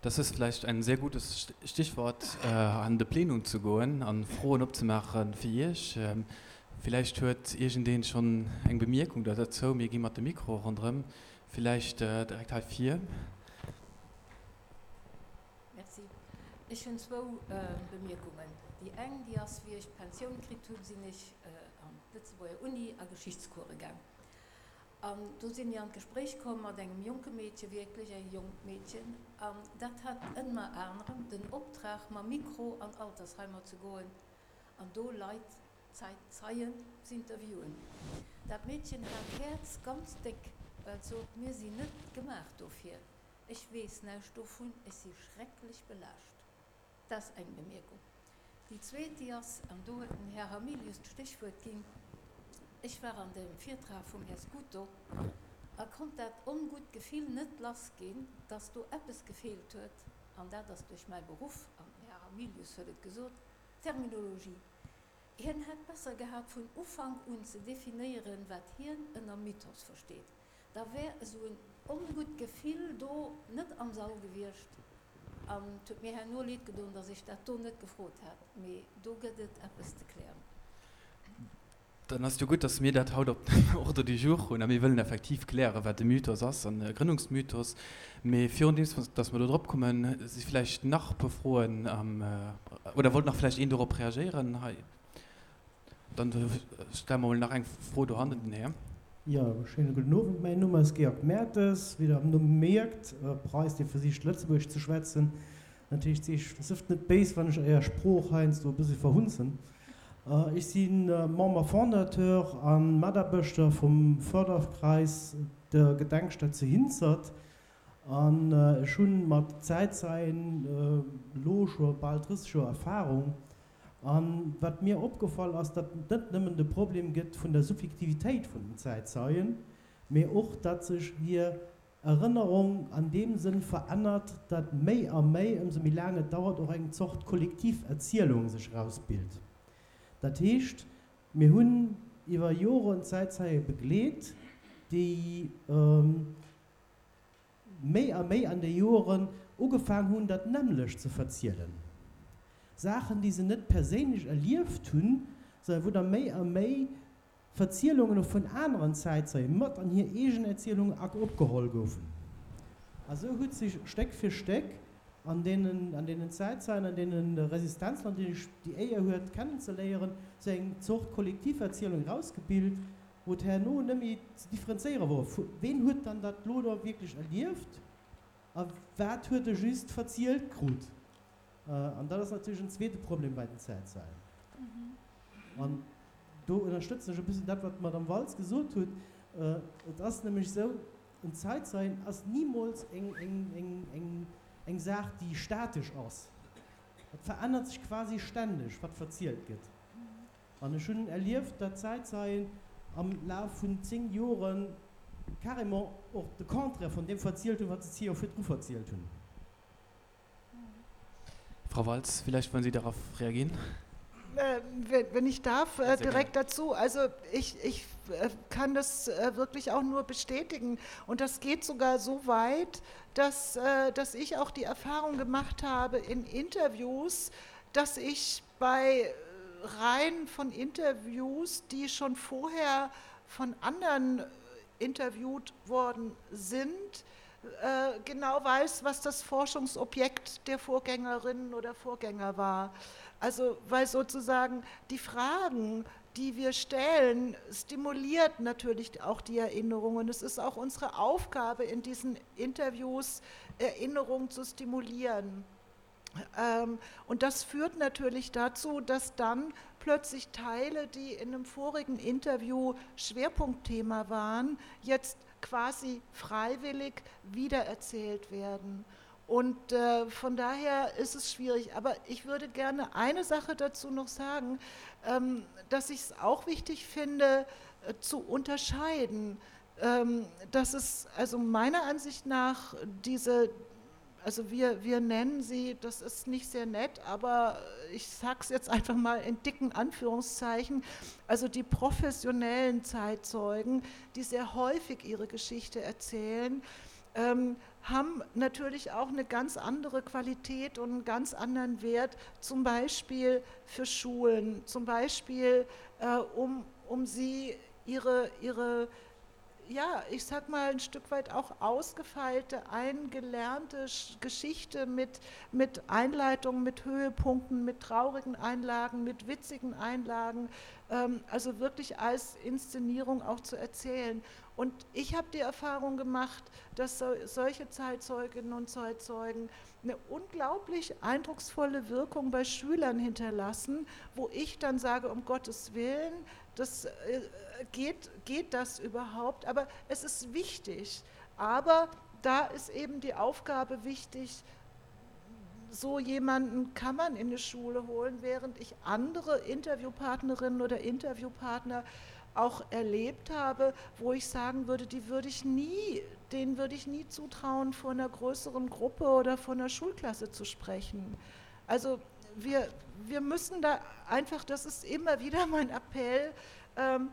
Das ist vielleicht ein sehr gutes Stichwort, an de Plenum ze goen an Froen opzemaachen fir Iech. Villäicht huet iergendeen schonn eng Bemierkung da dozou. Mir gi mat de Mikro ronderëm. Villäicht direkt hei vir. Merci. Ech hunn zwou Bemierkungen. Déi eng, déi ass, Wéi ech d'Pensioun kritt hunn, sinn ech an d'Lëtzebuerger Uni a Geschichtscourse gaang. An do si mir an d'Gespréich komm mat engem jonke Meedche, wierklech e jonkt Meedchen, an dat hat ënner anerem den Optrag, mam Mikro an Altersheimer ze goen an do Leit, Zäitzeien, z'interviewen. Dat Meedchen hat d'Häerz ganz déck, well et sot, Mir sinn net gemaach dofir, ech weess näischt dovun, ech si schrecklech belaascht. Dat ass eng Bemierkung. Déi zweet, déi ass, an do huet den Här Hamilius d'Stéchwuert ginn, Ech war an dem Virtrag vum Här Scuto a konnt dat ongutt Gefill net lassginn, dass do eppes gefeelt huet, an dat ass duerch mäi Beruff, an den Här Hamilius huet et gesot, d'Terminologie. Hien hätt besser gehat, vun Ufank un ze definéieren, wat hien ënner Mythos versteet. Da wär esou en ongutt Gefill do net am Sall gewiescht. An et huet mir herno leed gedoen, datt ech dat do net gefrot hat. Mee do gëtt et eppes ze klären. Dann ass et jo gutt, datt mir dat haut op dem Ordre du jour hunn a mir wëllen effektiv klären, wat e Mythos ass an e Grënnungsmythos. Mee virundeems datt mer do drop kommen, si vläicht nach e puer Froen am, oder wollt nach vläicht een dorop reagéieren hei? Dann stelle mer mol nach eng Fro do hannen, den Här. Jo, schéine gudden Owend. Mäin Numm ass Georg Mertes. Wéi Der am Numm mierkt, Preis, dee versicht Lëtzebuergesch ze schwätzen. Dat heescht, sift net béis, wann ech Är Sprooch heiansdo e bëssi verhunzen. Ech si Member fondateur a Mataarbechter vum Förderkreis der Gedenkstätt zu Hinzert. An ech hu mat Zäitzeien elo scho bal 30 Joer Erfarung. A wat mir opgefall ass, datt et net nëmmen de Problem gëtt vun der Subjektivitéit vun den Zäitzeien, mee och, datt sech hir Erënnerung an deem Sënn verännert, datt méi a méi, ëmsou méi laang et dauert, och eng Zort kollektiv Erzielung sech erausbilt. Dat heescht, mir hunn iwwer Joren Zäitzeie begleet, déi méi a méi an de Joeren ugefaang hunn, dat nämmlecht ze verzielen. Saachen, déi se net perséinlech erlieft hunn, sondern wou da méi a méi Verzielungen och vun aneren Zäitzeie mat an hir eegen Erzielung opgeholl goufen. A sou huet sech Stéck fir Stéck an deenen, an deenen Zäitzeien, an deene Resistenzler, déi ech déi Éier huet kennenzeléieren, sou eng Zort Kollektiverzielung erausgebilt, wou et herno net méi ze differenzéiere wor, ween huet dann dat lo do wierklech erlieft a wat huet e just verzielt krut. An dat ass natierlech en zweete Problem bei den Zäitzeien. An do ënnerstëtzen ech e bëssen dat, wat d'Madame Waltz gesot huet. Et ass nämlech esou, en Zäitzeien ass nimools eng Saach, déi statesch ass. Et verännert sech quasi stänneg, wat verzielt gëtt. An ech hunn erlieft, datt Zäitzeien am Laf vun 10 Jore carrément och de Contraire vun deem verzielt hunn, wat se 10 Joer virdru verzielt hunn. Frau Walz, vielleicht wollen Sie darauf reagieren? Wenn ich darf, direkt dazu. Also ich, ich kann das wirklich auch nur bestätigen. Und das geht sogar so weit, dass, dass ich auch die Erfahrung gemacht habe in Interviews, dass ich bei Reihen von Interviews, die schon vorher von anderen interviewt worden sind, genau weiß, was das Forschungsobjekt der Vorgängerinnen oder Vorgänger war. Also weil sozusagen die Fragen, die wir stellen, stimuliert natürlich auch die Erinnerung. Und es ist auch unsere Aufgabe in diesen Interviews, Erinnerung zu stimulieren. Und das führt natürlich dazu, dass dann plötzlich Teile, die in einem vorigen Interview Schwerpunktthema waren, jetzt quasi freiwillig wiedererzählt werden. Und äh, von daher ist es schwierig. Aber ich würde gerne eine Sache dazu noch sagen, ähm, dass ich es auch wichtig finde, äh, zu unterscheiden, ähm, dass es also meiner Ansicht nach diese also wir, wir nennen sie, das ist nicht sehr nett, aber ich sage es jetzt einfach mal in dicken Anführungszeichen, also die professionellen Zeitzeugen, die sehr häufig ihre Geschichte erzählen, ähm, haben natürlich auch eine ganz andere Qualität und einen ganz anderen Wert, zum Beispiel für Schulen, zum Beispiel äh, um, um sie ihre, ihre ja, ich sag mal, ein Stück weit auch ausgefeilte, eingelernte Geschichte mit, mit Einleitungen, mit Höhepunkten, mit traurigen Einlagen, mit witzigen Einlagen, ähm, also wirklich als Inszenierung auch zu erzählen. Und ich habe die Erfahrung gemacht, dass so, solche Zeitzeuginnen und Zeitzeugen eine unglaublich eindrucksvolle Wirkung bei Schülern hinterlassen, wo ich dann sage, um Gottes Willen, das äh, geht, geht das überhaupt? Aber es ist wichtig. Aber da ist eben die Aufgabe wichtig, so jemanden kann man in die Schule holen, während ich andere Interviewpartnerinnen oder Interviewpartner auch erlebt habe, wo ich sagen würde, die würde ich nie, denen würde ich nie zutrauen, vor einer größeren Gruppe oder vor einer Schulklasse zu sprechen. Also wir, wir müssen da einfach, das ist immer wieder mein Appell, ähm,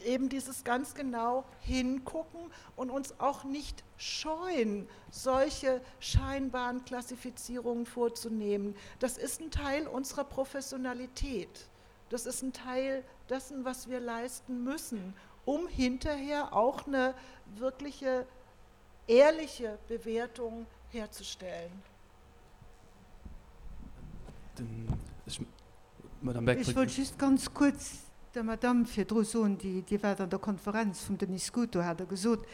eben dieses ganz genau hingucken und uns auch nicht scheuen, solche scheinbaren Klassifizierungen vorzunehmen. Das ist ein Teil unserer Professionalität. Das ist ein Teil dessen, was wir leisten müssen, um hinterher auch eine wirkliche ehrliche Bewertung herzustellen. Ech wollt just ganz kuerz der Madamm virdru soen, déi Dir waart an der Konferenz vum Denis Scuto, hat Der gesot,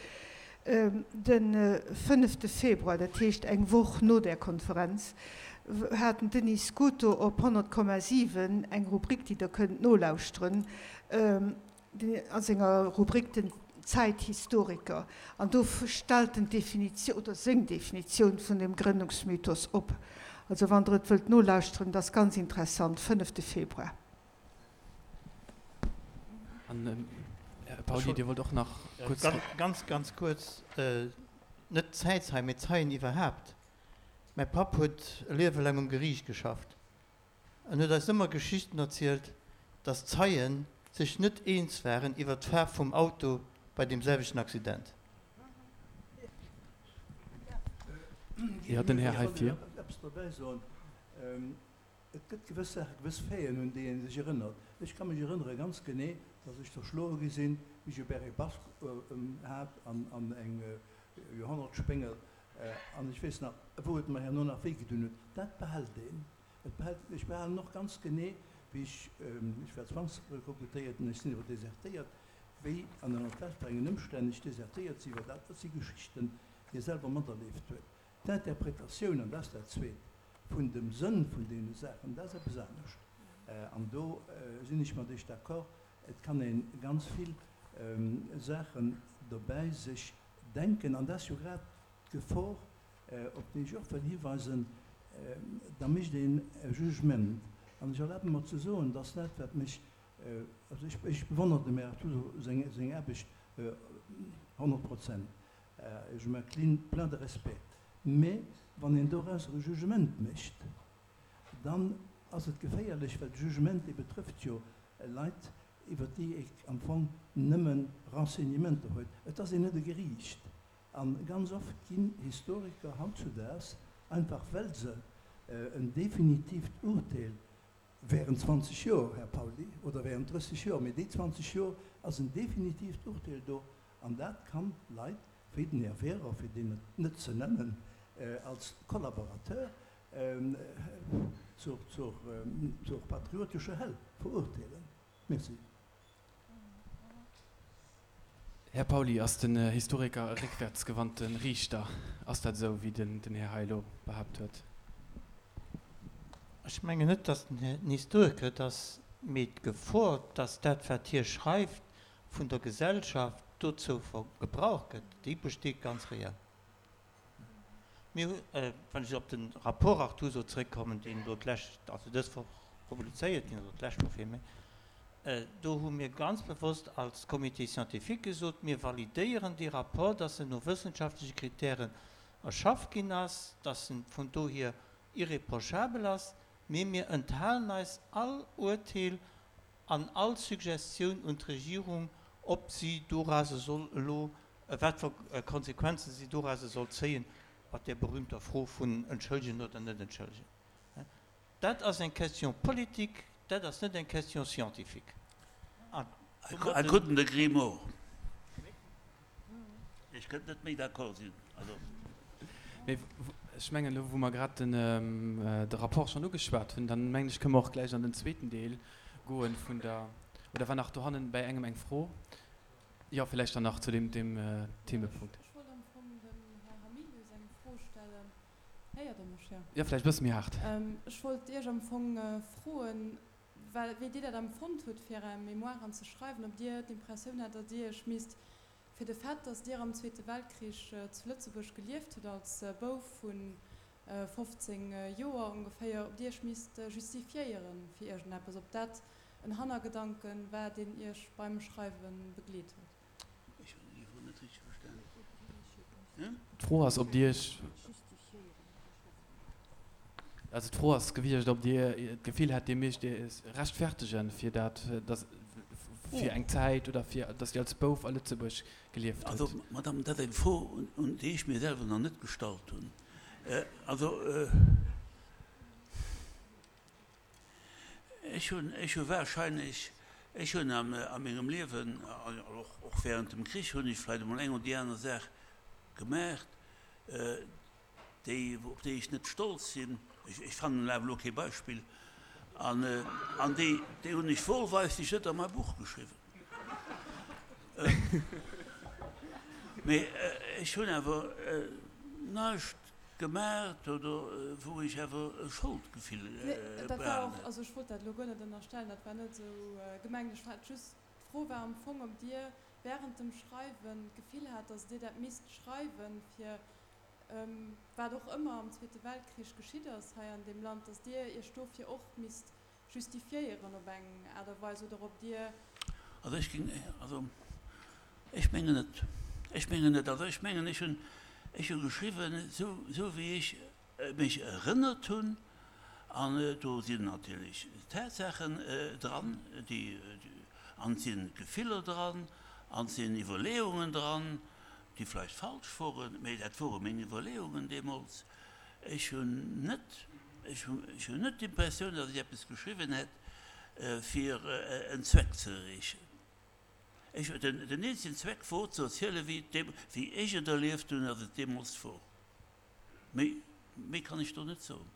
de fënnefte Februar, dat heescht eng Woch no där Konferenz, hat den Denis Scuto op 100,7 eng Rubrik, déi Der kënnt nolauschteren, a senger Rubrik den Zäithistoriker. An do stellt en d'Definitioun, oder seng Definitioun vun dem Grënnungsmythos op. Also wann Der et wëllt nolauschteren, et ass ganz interessant, fënnefte Februar. An, Här Pauly, Dir wollt och nach kuerz. Ganz, ganz kuerz, net d'Zäitzeien, mee d'Zeien iwwerhaapt. Mäi Papp huet e Liewe laang um Geriicht geschafft. En huet eis ëmmer Geschichten erzielt, dass d'Zeien sech net eens waren iwwer d'Faarf vum Auto bei deem selwechten Accident. Jo, den Här hei vir. Eppes dobäi soen. Et gëtt gewëss Saachen, gewëss Faiten, un déi ee sech erënnert. Ech ka mech erënnere ganz genee, dass ech zerschloe gi sinn, wéi ech e Béret basque hat an eng Joerhonnertspéngel. An ech weess nach, wou et mer herno nach wéi gedun huet. Dat behält een. Et behält, ech behalen och ganz genee, wéi ech, ech war Zwangsrekrutéiert an ech sinn awer desertéiert, wéi an ënner wat fir engen Ëmstänn ech desertéiert sinn, well dat, dat si Geschichten, déi ee selwer materlieft huet. D'Interpretatioun, an dat ass dat Zweet, vun dem Sënn vun deene Saachen, dat ass eppes anescht. An do sinn ech mat Iech d'accord, et kann ee ganz vill Saachen dobäi sech denken, an dat ass jo grad d'Gefor, op déi ech och wëll hiweisen, da mécht een e Jugement. An ech erlabe mer ze soen, dass dat, wat mech, also ech, ech bewonnere dem Här Artuso seng, seng Aarbecht 100 Prozent, je m'incline plein de respect, mä wann een dorausser e Jugement mécht, dann ass et geféierlech, well de Jugement, dee betrëfft jo Leit, iwwert déi ee am Fong nëmme Renseignementer huet. Et ass een net e Geriicht. A ganz oft ginn Historiker hautzudaags, einfach well se en definitiivt Urteel während 20 Joer, Här Pauly, oder während 30 Joer, mee déi 20 Joer ass en definitiivt Urteel do, an dat kann Leit wéi den Här Wehrer, fir deen et net ze nennen, als Collaborateur zur patriotescher Hell verurteelen. Merci. Här Pauly, ass den Historiker e réckwäertsgewandte Riichter? Ass dat esou, wéi den Här hei elo behaapt huet? Ech mengen net, datt den Historiker et ass, mee d'Gefor, datt dat, wat hie schreift, vun der Gesellschaft dozou gebraucht gëtt, déi besteet ganz reell. Mir hu, wann ech op de Rapport Artuso zréckkommen, deen elo d'lescht, also dës Woch publizéiert ginn ass, oder d'lescht Woch villméi, do hu mir ganz bewosst als Comité scientifique gesot, mir validéieren dee Rapport, dass en no wëssenschaftleche Kritären erschafft ginn ass, dass en vun dohier irreprochabel ass, mee mir enthalen eis all Urteel an all Suggestioun un d'Regierung, ob si dorauser soll elo, wat fir Konsequenzen si dorauser soll zéien. mat där berühmter Fro vun entschëllegen oder net entschëllegen. Dat ass eng Question politique, dat ass net eng Question scientifique. An I couldn't agree more. Ech kënnt net méi d'accord sinn. Also. Mee ech mengen, elo wou mer grad den, de Rapport schonn ugeschwat hunn, dann mengen ech, kënne mer och gläich an den zweeten Deel goen vun der, oder war nach dohannen bäi engem eng Fro? Jo, villäicht dann nach zu deem, deem Themepunkt. Ech wollt am Fong dem Här Hamilius eng Fro stellen. Héiert Der mech? Jo. Jo, vläicht e bësse méi haart. Ech wollt Iech am Fong froen, well, wéi Dir dat empfonnt hutt, fir Är Mémoiren ze schreiwen, ob Dir d'Impressioun hat, datt Dir Iech misst fir de Fait, datt Dir am Zweete Weltkrich zu Lëtzebuerg gelieft hutt als Bouf vu 15 Joer ongeféier, ob Dir Iech misst justifiéieren fir iergendeppes, ob dat en Hannergedanken war, deen Iech beim Schreiwe begleet huet. Ech hunn déi Fro net richteg verstanen. D'Fro ass, ob Dir Iech, also d'Fro ass gewiescht, ob Dir d'Gefill hat, Dir misst Iech rechtfertegen fir dat, dass, fir eng Zäit oder fir, dass Dir als Bouf a Lëtzebuerg gelieft hutt. Also, Madame, dat ass eng Fro, un déi ech mir selwer nach net gestallt hunn. Also, Ech hunn, ech hu wahrscheinlech, ech hunn a mengem Liewen, och während dem Krich hunn ech vläicht emol eng oder déi aner Saach gemaacht, déi, op déi ech net stolz sinn, ech fannen awer elo kee Beispill, an, an déi, déi hunn ech wohlweislech net a mäi Buch geschriwwen. Mee ech hunn awer näischt Gemaacht oder wou ech awer e Scholdgefill Nee, dat war och, also ech wollt dat elo guer net ënnerstellen, dat war net esou gemengt. Ech hat just, d'Fro war am Fong, ob Dir während dem Schreiwen d'Gefill hat, datt Dir dat misst schreiwen, fir wat och ëmmer am Zweete Weltkrich geschitt ass hei an deem Land, datt Dir Iech dofir och misst justifiéieren op eng Aart a Weis oder ob Dir. Also ech géing, also ech mengen net, ech mengen net. Also ech mengen, ech hunn, ech hu geschriwwen, esou, esou wéi ech mech erënnert hunn, an do sinn natierlech Tatsaachen dran, déi, an et sinn Gefiller dran, an et sinn Iwwerleeungen dran, déi vläicht falsch woren, mä dat wore meng Iwwerleeungen deemools. Ech hunn net, ech hunn net d'Impressioun, datt ech eppes geschriwwen hätt, fir en Zweck ze erreechen. Ech, den, den eenzegen Zweck wor, ze erzielen, wéi et deem, wéi ech et erlieft hunn, datt et deemools wor. Méi, méi kann ech do net soen.